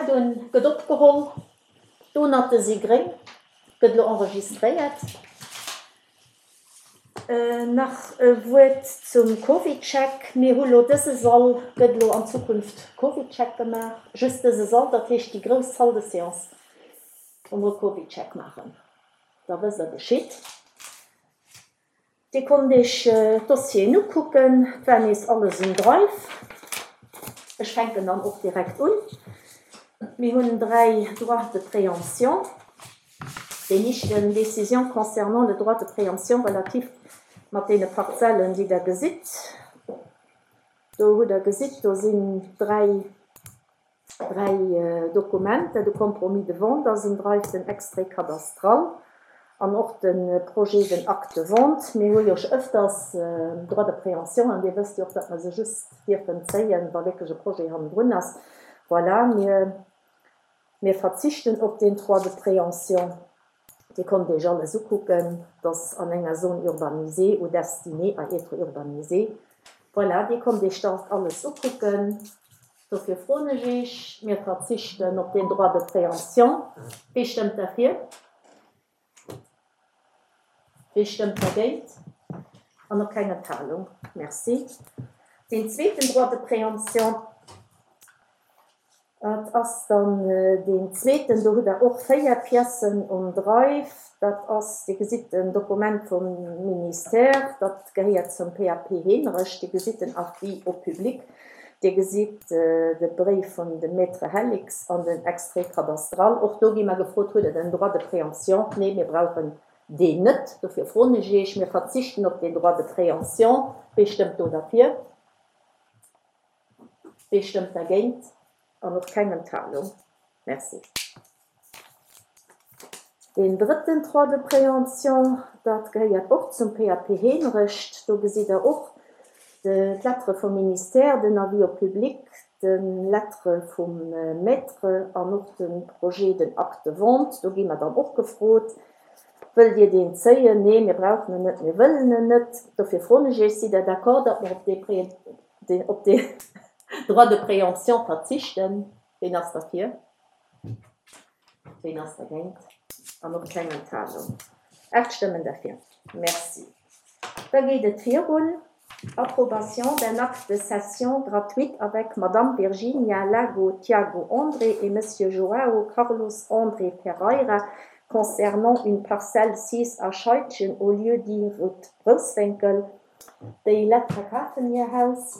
Dunn gëtt opgeholl, D'Donate si gréng, gëtt elo enregistréiert. Nach e Wuert zum CovidCheck, Mir hu lo dëse Sall, gëtt elo an Zukunft CovidCheck gemaach, just dëse Sall, dat heescht déi grouss Salle de séance, wou mer e CovidCheck maachen. Da wësst Der Bescheed. Dir konnt Iech d'Dossieren ukucken, et war nees alles um Drive. Ech fänken dann och direkt un. Mir hunn 3 Droits de préemption. Deen éischten, Décision concernant le droit de préemption relatif mat deene Parzellen, déi Der gesitt. Do hutt Der gesitt, do sinn 3 3 Dokumenter, de Compromis de vente ass um Drive, den Extrait cadastral an och de Projet, den Acte de vente. Mir hu jo scho ëfters Droit de préemption an Dir wësst jo och, datt mer se just dierfen zéien, wa wierklech e Projet hannendrun ass. Voilà, mir, mir verzichten op deen Droit de préemption. Dir konnt Iech alles ukucken, dass an enger Zone urbanisée ou destinée à être urbanisée. Voilà, Dir konnt Iech dat alles ukucken. Dofir froen ech Iech, mir verzichten op deen Droit de préemption. Wie stëmmt derfir? Wie stëmmt dergéint? An och keng Enthalung. Merci. Deen zweeten Droit de préemption, dat ass dann deen zweeten, do hutt Der och 4 Piècen um Drive. Dat ass, Dir gesitt en Dokument vum Ministère, dat gehéiert zum PAP Heemerech. Dir gesitt den Avis au public, Dir gesitt de Bréif vun dem Maître Hellix an den Extrait cadastral. Och do gi mer gefrot, Hutt Der den Droit de préemption? Nee, mir brauchen deen net. Dofir froen ech Iech, Mir verzichten op deen Droit de préemption. Wee stëmmt do derfir? Wee stëmmt dergéint? An och keng Enthalung. Merci. Deen drëtten Droit de préemption, dat gehéiert och zum PAP Heemrecht. Do gesitt Der och d'Lettre vum Ministère, den Avis au public, d'Lettre vum Maître an och de Projet, den Acte de vente. Do gi mer dann och gefrot, Wëllt Dir deen zéien? Nee, mir brauchen en net, mir wëllen en net. Dofir froen ech Iech, Sidd Der d'accord, datt mer op dee, op dee Droit de préemption verzichten? Ween ass derfir? Ween ass dergéint? An och keng Enthalung. 8 Stëmmen derfir. Merci. Da geet et virun. Approbation d'un acte de cession gratuite avec Madame Virginia Lago Tiago André et Monsieur João Carlos André Ferreira concernant une parcelle sise à Scheidgen au lieu-dit Route Brousswénkel. Déi Lett verkafen hir Haus.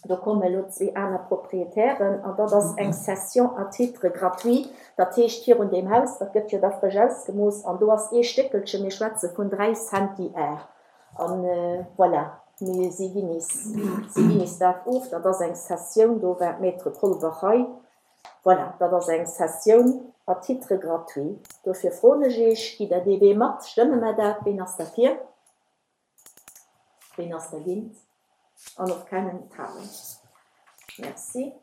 Do kommen elo zwee aner Proprietären an dat ass eng Cession à titre gratuit. Dat heescht, virun deem Haus, dat gëtt jo da frësch ausgemooss an do ass ee Stéckelchen, mir schwätze vun 3 Centiar. An voilà, mir si ginn is, si ginn is dat of. Dat ass eng Cessioun, do war d'Maître Kolbach hei. Voilà, dat ass eng Cessioun à titre gratuit. Dofir froen ech Iech, Gitt Der dee Wee mat? Stëmme mer dat? Ween ass derfir? Ween ass dergéint? An och keng Enthalung. Merci.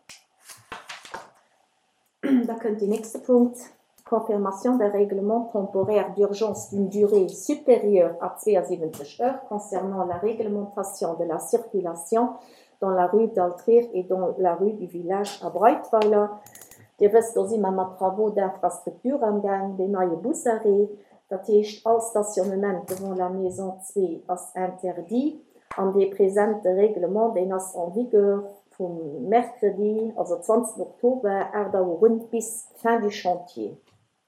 Da kënnt deen nächste Punkt, Confirmation d'un règlement temporaire d'urgence d'une durée supérieure à 72 heures concernant la réglementation de la circulation dans la rue d'Altrier et dans la rue du Village à Breitweiler. Dir wësst, do si mer mat Travaux d'infrastructure amgaang, deen neie Busarrêt. Dat heescht, all Stationnement devant la maison 2 ass interdit an dee presente Règlement, deen ass en vigueur vum Mercredi, also 20 Oktober, 8 Auer un, bis fin du chantier.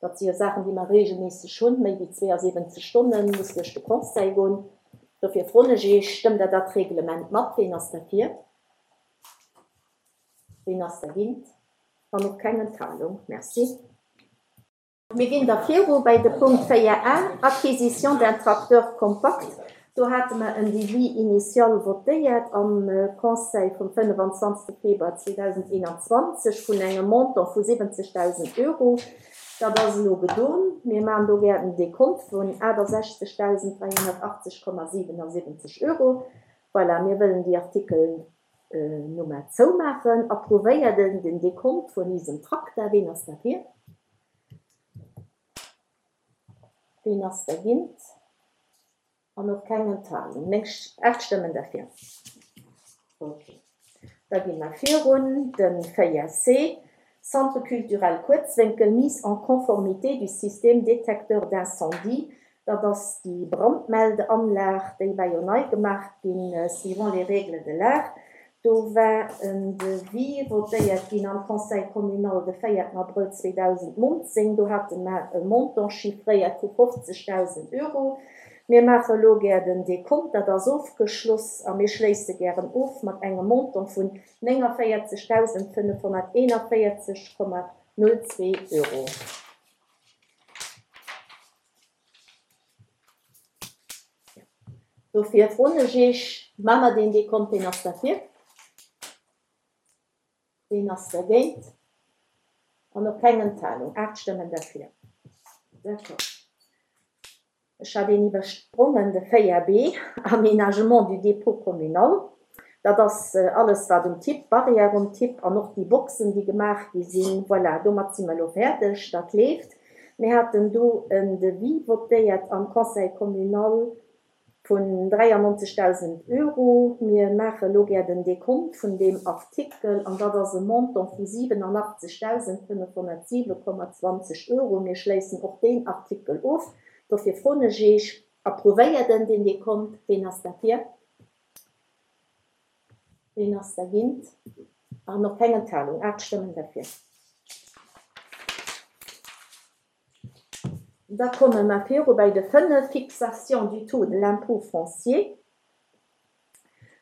Dat si jo Saachen, déi mer regelméisseg hunn, méi wéi 72 Stonne muss duerch de Conseil goen. Dofir froen ech Iech, Stëmmt Der dat Reglement mat? Ween ass derfir? Ween ass dergéint? An och keng Enthalung. Merci. Mir ginn da viru bei de Punkt 4 a, Acquisition d'un tracteur compact. Do hate mer en Devis initial votéiert am Conseil vum 25. Februar 2021 vun engem Montant vu 70.000 Euro. Dat ass elo gedon. Mir maachen do gär en Dekont vun 68.380,77 Euro. Voilà, mir wëllen déi Artikelnummer zoumaachen. Approuvéiert en den Dekont vun isem Trakter? Ween ass derfir? Ween ass dergint? An och keng Enthalung. Meng 8 Stëmmen derfir. Ok. Da gi mer virun. De 4C. Centre culturel Kuerzwénkel, mise en conformité du système détecteur d'incendie, dat ass déi Brandmeldeanlag, déi war jo nei gemaach ginn, suivant les règles de l'art. Do war en Devis votéiert ginn am Conseil communal de 4 Abrëll 2019. Do hate mer e Montant chiffréiert vu 50.000 Euro. Mir maache elo gär den Dekont, dat ass ofgeschloss, a mir schléisse gären of mat engem Montant vun 49.541,02 Euro. Dofir froen ech Iech, Maache mer deen Dekont? Ween ass derfir? Ween ass dergéint? An och keng Enthalung, 8 Stëmmen derfir. D'accord. Ech hat een iwwersprongen, de 4 B, Aménagement du dépôt communal. Dat ass alles, wat um Tipp, d'Barrière um Tipp an och déi Boxen, déi gemaach gi sinn. Voilà, domat si mer elo fäerdeg. Dat leeft. Mir haten do en Devis votéiert am Conseil communal vun 93.000 Euro. Mir maache elo gär den Dekont vun deem Artikel an dat ass e Montant vu 87.507,20 Euro. Mir schléissen och deen Artikel of. Dofir froen ech Iech, Approuvéiert en deen Dekont? Ween ass derfir? Ween ass dergéint? An och keng Enthalung, 8 Stëmmen derfir. Da komme mer viru bei de 5, Fixation du taux de l'impôt foncier.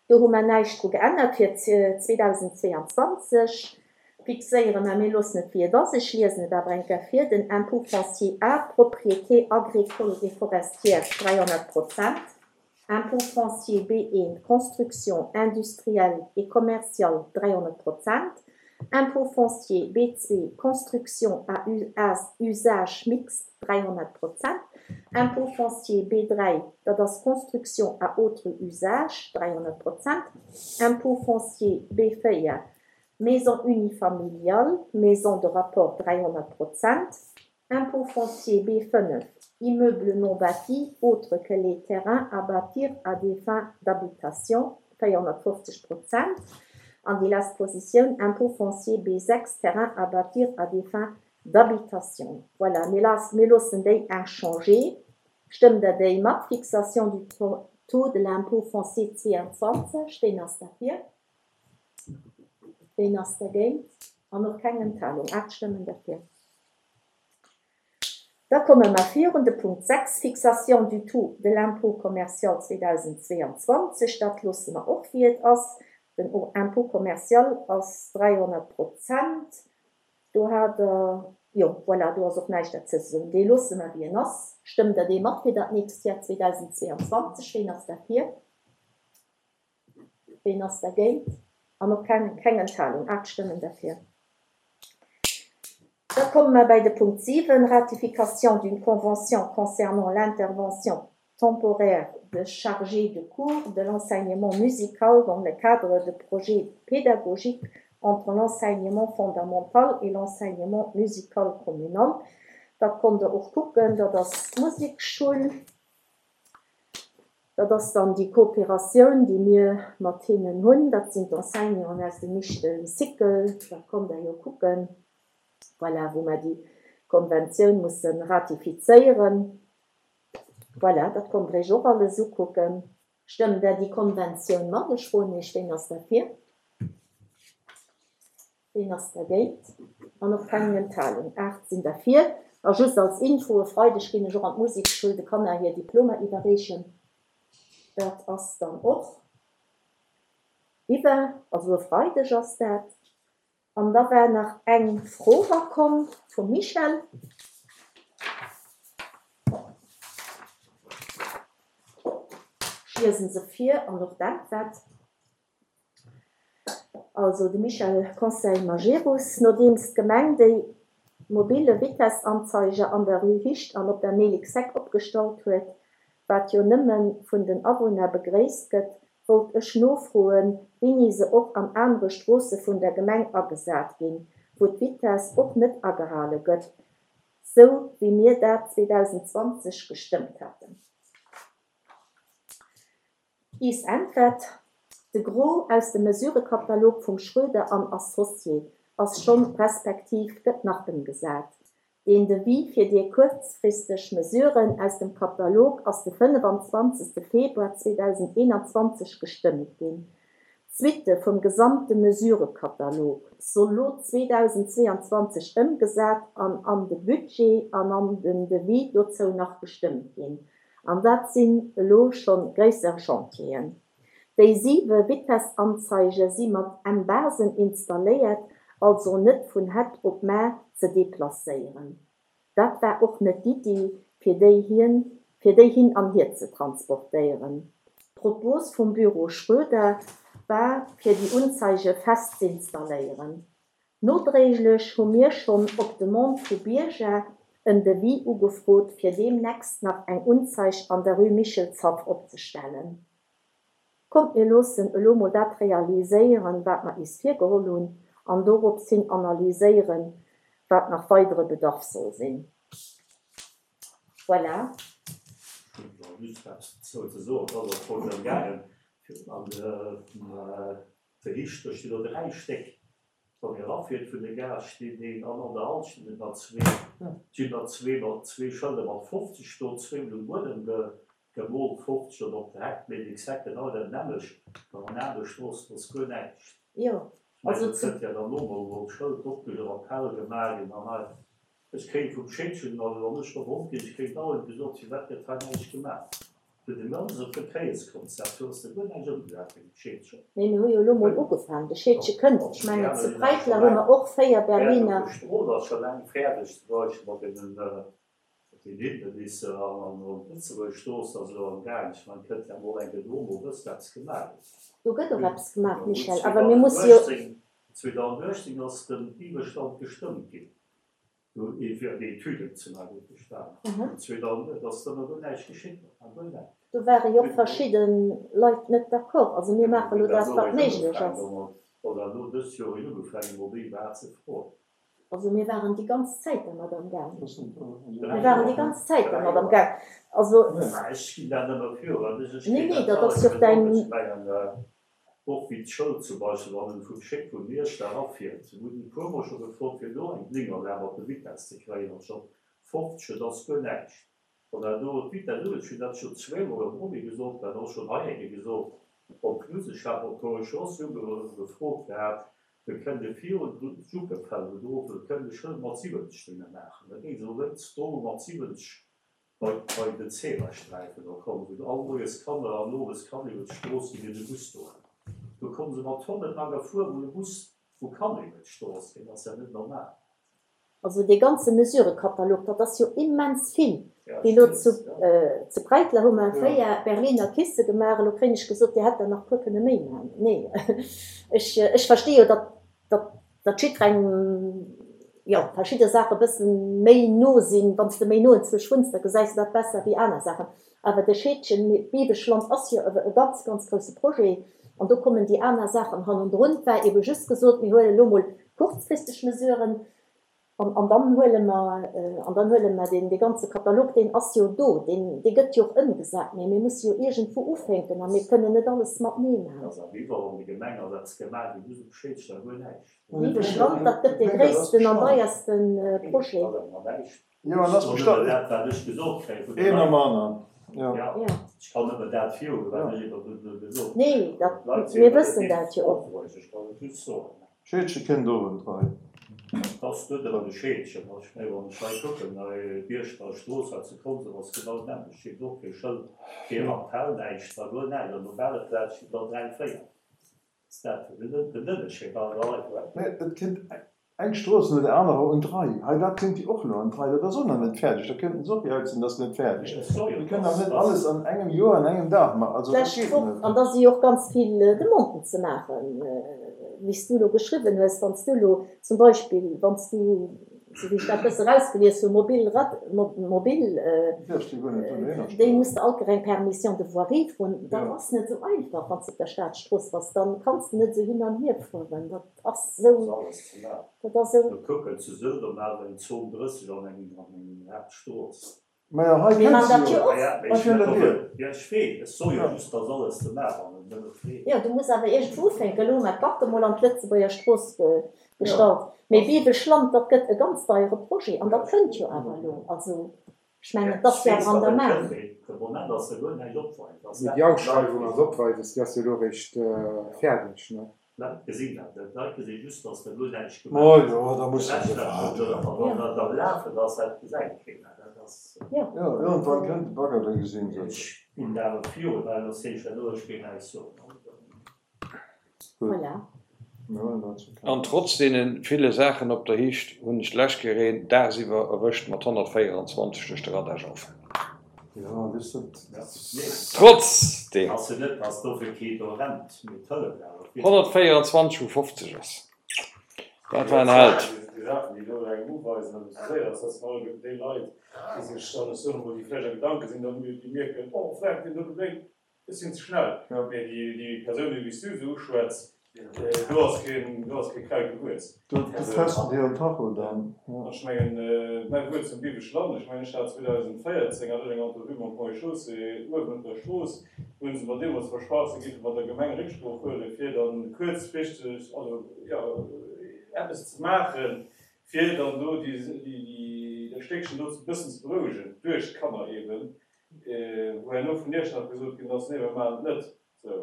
Do hu mer näischt dru geännert fir 2022. Fixéiere mer, mir loossen et wéi et ass, ech liesen et awer eng Kéier vir, den Impôt foncier à propriété agricole et forestière 300 Prozent, Impôt foncier B1, construction industrielle et commerciale 300 Prozent, Impôt foncier B2, construction à usage mixte 300 Prozent, Impôt foncier B3, dat ass construction à autre usage 300 Prozent, Impôt foncier B4, maison unifamiliale, maison de rapport 300 Prozent, Impôt foncier B5, immeuble non bâti autre que les terrains à bâtir à des fins d'habitation 450 Prozent an déi lescht Positioun Impôt foncier B6, terrain à bâtir à des fins d'habitation. Voilà, mir mir loossen déi inchangé. Stëmmt Der déi mat? Fixation du taux de l'impôt foncier 22, ween ass derfir? Ween ass dergéint? An och keng Enthalung, 8 Stëmmen derfir. Da komme mer virun de Punkt 6, Fixation du taux de l'impôt commercial 2022. Dat loosse mer och wéi et ass. Den Impôt commercial ass 300 Prozent. Do hat Der, jo, voilà, do ass och näischt derzou ze soen. Dee loosse mer wéi en ass. Stëmmt Der dee mat fir dat nächst Joer 2022? Ween ass derfir? Ween ass dergéint? An och keng keng Enthalung, 8 Stëmmen derfir. Da komme mer bäi de Punkt 7, Ratification d'une convention concernant l'intervention temporaire de chargés de cours de l'enseignement musical dans le cadre de projets pédagogiques entre l'enseignement fondamental et l'enseignement musical communal. Dat konnt Der och kucken, dat ass d'Musekschoul. Dat ass dann déi Kooperatioun, déi mir mat hinnen hunn. Dat sinn d'Enseignanten aus dem Michtel Cycle. Dat konnt Der jo kucken, voilà, wou mer déi Konventioun musse ratifizéieren. Voilà, dat konnt Der Iech och alles ukucken. Stëmmt Der déi Konventioun mat? Ech froen Iech, Ween ass derfir? Ween ass dergéint? An och keng Enthalung. 8 sinn derfir. A just als Info, e Freideg ginn ech och an d'Musekschoul de Kanner hir Diplomer iwwerreechen. Dat ass dann och iwwer, also e Freideg ass dat. An da war nach eng Fro erakomm vum Michel. Ech liese se vir an och d'Äntwert. Also de Michel Conseil Majerus, Nodeems d'Gemeng déi mobile Vitessanzeiger an der Rue Hicht an op der Mélixheck opgestallt huet, wat jo nëmme vun den Awunner begréisst gëtt, wollt ech nofroen, wéini se och an anere Stroosse vun der Gemeng agesat ginn, wou d'Vitess och net agehale gëtt, sou wéi mir dat 2020 gestëmmt haten. Is Äntwert, De Gros aus dem Mesurekatalog vum Schroeder an Associés. ass schonn respektiv gëtt nach ëmgesat. Deen Devis fir déi kuerzfristeg Mesuren aus dem Katalog ass de 25 Februar 2021 gestëmmt ginn. D'Suitte vum gesamte Mesurëkatalog soll lo 2022 ëmgesat an an de Budget an an den Devis dozou nach gestëmmt ginn. An dat sinn elo scho gréisser Chantieren. Déi siwe Vitessanzeige si mat M-Basen installéiert, also net vun hett op mar ze deplacéieren. Dat war och net d'Iddi, fir déi hien fir déi hin an hier ze transportéieren. D'Propos vum Büro Schroeder war, fir déi Unzeige fest z'installéieren. Nodréiglech hu mir schonn op Demande vu Bierger en Devis ugefrot, fir deemnächst nach eng Unzeig an der Rue Michelshaff opzestellen. Kommt mir loossen elo mol dat realiséieren, wat mer is virgeholl hunn, an dorops hin analyséieren, wat nach weidere Bedarf soll sinn. Voilà. Ech hunn nach just eppes dozou ze soen. Et ass am Fong drëm gaangen, fir an de Riichter stinn do 3 Stéck. Wann ee erafiert vun de Gare stinn een an an der Halt stinn et nach zwee. Et sinn der zwee mat zwee Schëlder mat 50 do, zweemol um Buedem gemoolt 50 an op der Heck, mee exakt genau dat nämmlecht. An an anere Stroossen ass guer näischt. Jo, also zu. Ech mengen, et gëtt jo dann elo mol e Schëld opge, Rappell gemaach ginn an hei. Ech kréien vum Scheedgen, also wann ech ronderëm ginn, ech kréien dauernd gesot, firwat gëtt hei näischt gemaach. Fir de ganze Verkéierskonzept, do ass da guer näischt ëmgesat ginn um Scheedgen. Nee, mir hu jo elo mol ugefaangen. De Scheedge kënnt. Ech mengen, zu Breitler hu mer och 4 Berliner. D'Strooss ass scho laang fäerdeg, zum Beispill mat deenen, mat den Hindernisser an an d'Lëtzebuerger Strooss ass elo am Gaang. Ech mengen, kënnt ja mol eng Kéier do mol wëssen, eppes gemaach gëtt. Do gëtt och eppes gemaach, Michel, awer mir musse jo. 2018 ass den Iwwerstand gestëmmt ginn. Do ee fir déi Etüden ze maachen, huet bestanen. An 2008 ass dann awer näischt geschitt, nach guer näischt. Do ware jo och verschidde Leit net d'accord. Also mir maache lo dat, wat méiglech ass. Wann dat elo dëst Joer een ugefaangen huet, déi war ze froen. Also mir waren déi ganz Zäit dermat am Gaang. Mir waren déi ganz Zäit dermat am Gaang. Also. Ech ginn dat nëmme virun. Nee, nee, dat ass jo och däin. Och wéi d'Schoul zum Beispill, wann en vum Schéck vun Miersch da erafiert. Mir hunn e puer mol scho gefrot, fir do eng Blinkerlag op de Vitess ze kréien, anstatt 50, et ass guer näischt. Wann dat do d'Vitess ugeet, ech hunn dat scho zweemol am Roby gesot, dat och schonn hei eng Kéier gesot, op Knuseschaf, op d'Corregion, si hu gefrot gehat, mir kënne virun d'Juppefeld do, do kënne de Schëld mat 70 drinne maachen. Da géing se wéinst do mat 70 Bei bei den Zebrasträifen, do kommen wou all moies Kanner an owes kann iwwer d'Strooss ginn, ier de Bus do ass. Do komme se mat Tonnen a gefuer, wou e Bus wou kann iwwer d'Strooss ginn, ass ja net normal. Also dee ganze Mesurëkatalog, dat ass jo immens vill. Wéi elo zu zu Breitler hu mer 4 Berliner Kisse gemaach, elo kréien ech gesot, Dir hätt der nach puer kënne méi maachen. Nee, ech ech versti jo, datt datt datt jiddwerengem, jo, verschidde Saache e bësse méi no sinn. Wann s de méi no enzwousch wunns, da gesäis de dat besser wéi aner Saachen. Awer de Scheedgen, d'Biweschland ass jo e ganz, ganz grousse Projet an do kommen déi aner Saachen hannendrun. Et war ebe just gesot, mir huelen elo mol kurzfristeg Mesuren An, an dann huele mer, an dann huele mer deen, dee ganze Katalog, deen ass jo do, deen, dee gëtt jo och ëmgesat, mä mir musse jo iergendwou ufänken a mir kënnen net alles matenee maachen. Ass awer iwwerall an de Gemeng ass eppes gemaach ginn, just op Schéidschter guer näischt. Lieweg Land, dat gëtt dee gréissten an deierste Projet. Ass awer näischt. Jo, an ass bestallt. Dat wat ech gesot kréien vun de Een Leit. nom aneren, jo. Ja, ech kann nëmmen dat virhuelen, wat ech iwwer gesot. Nee, dat, mir wëssen dat jo och. Ech kann et just soen. Scheedche kënnt och un d'Rei. Et ass net ëmmer de Scheedchen. Ech menge wann ech hei kucken, hei Bierschter Strooss hei zu Konsem ass genau d'nämmlecht, steet och kee Schëld, kee Rappell, näischt, da guer näischt. An op ale Plaz stinn der 3, 4. Ass dat den Ënnerscheed an der Leit? Mä et kënnt eng Strooss no der anerer un d'Rei. Hei, dat kënnt déi och elo an d'Rei. Dat ass och nach net fäerdeg. Da kënnten se och jauzen, dat ass net fäerdeg. Mir kënnen awer net alles an engem Joer, an engem Dag maachen. Also dat D'lescht geet Woch, net. an da si jo och ganz vill Demanden ze maachen, wéi s du elo geschriwwen hues, wann s du elo zum Beispill, wann s du, esou wéi ech dat e bësse erausgelies hunn, mobil Rad, mobil, déi muss de alt eng Permission de voirie froen. Dat ass net esou einfach, wann s de op der Staatsstrooss bass, dann kanns de net esou hin an hier fueren. Dat ass esou, dat ass esou. Kucken, zu Sëlwer maache eng Zon 30 an engem Haaptstrooss. Majo, hei Mir kënnt man se dat jo. jo och. Hei kënnt dat hier. Jo, ech weess, ech soe jo just, dass alles ze maachen. Jo, du muss awer iergendwou ufänken. Elo hu mer d'Backe mol an d'Lëtzebuerger Strooss gestallt. Mee Bibelschland, dat gëtt e ganz deiere Projet an dat kënnt jo awer elo. Also, ech mengen, et ass jo awer an der Maach. Mee déi Ausschreiwung ass opweises, déi ass jo elo eréischt fäerdeg, ne? D'Leit gesinn dat net. D'Leit gesi just, datt der guer näischt gemaach gëtt. Jo, da muss de se waarden. Dat am Lafen ass, dat gesäit keen. Dat ass. Jo, iergendwann kënnt de Bagger, da gesinn se et. Ech hunn dat awer virun, well soss géif ech dat elo, ech géif näischt soen. Gutt. Voilà. Mir huelen dat zur An Kenntnis. trotz deene ville Saachen op der Hicht hunn ech d'lescht Kéier een dagsiwwer erwëscht mat 124 duerch de Radar-Jaufen. Jo, weess dat. Trotzdem! Ass jo net, dass dofir kee do rennt, mee d'hëlleft awer vill. 124 vu 50 ass, dat war en Held. Déi Saachen, déi do engem uweisen, datt et ze séier ass, dat sinn alleguerten déi Leit, déi sech dann, ech soen emol, déi vläicht a Gedanke sinn, dann déi mierken, oh, vläicht deen dote blénkt, Ech sinn ze schnell. Mee déi Persounen, wéi s du se uschwätz, do ass keen, do ass kee Kraut gewuess. Do testen déi en Tacho dann. Ech mengen, mäi Wuert zum Bibesche Land, ech mengen, ech hat 2014 hat ech eng Entrevue mam Ponts et Chaussées uewen op der Strooss, do hunn se mer deemools versprach, se géife mat der Gemeng Récksprooch huelen, fir dann kuerzfristeg, also jo, eppes ze maachen, fir dann do déi, déi, dat Stéckchen do e bëssen ze berouegen, duerch d'Kanner eeben. Wou herno vun Iechternach gesot ginn ass, nee, mir maachen et net. Sou,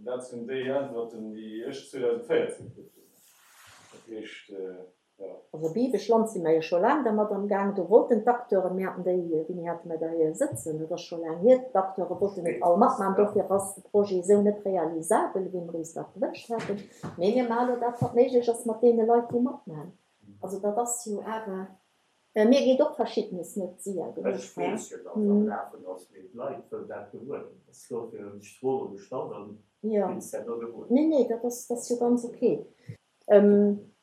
dat sinn déi Äntwerten, déi ech 2014 kritt hunn. Dat heescht, jo. Also Bibech-Land si mer jo scho laang dermat am Gaang. Do wollten d'Acteuren, mir haten déi, wéini hate mer déi sëtzen, dat ass scho laang hier, d'Acteure wollten et all matmaachen. Dofir ass de Projet esou net realisabel, wéi mer eis dat gewënscht haten. Mee mir maache elo dat, wat méiglech ass mat deene Leit, déi matmaachen. Also dat ass jo awer. Mir geet och verschiddenes net séier genuch. Ech weess jo, datt am Lafen ass, mee d'Leit wëllen dat gewuer ginn. Ass dofir hunn ech d'Fro gestallt an ginn se herno gewuer. Nee, nee, dat ass, dat ass jo ganz ok.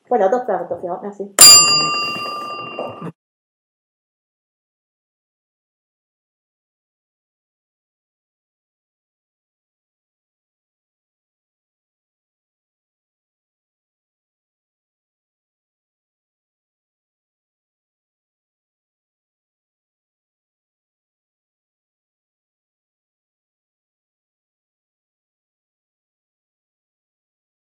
Voilà, dat war et da fir haut. Merci.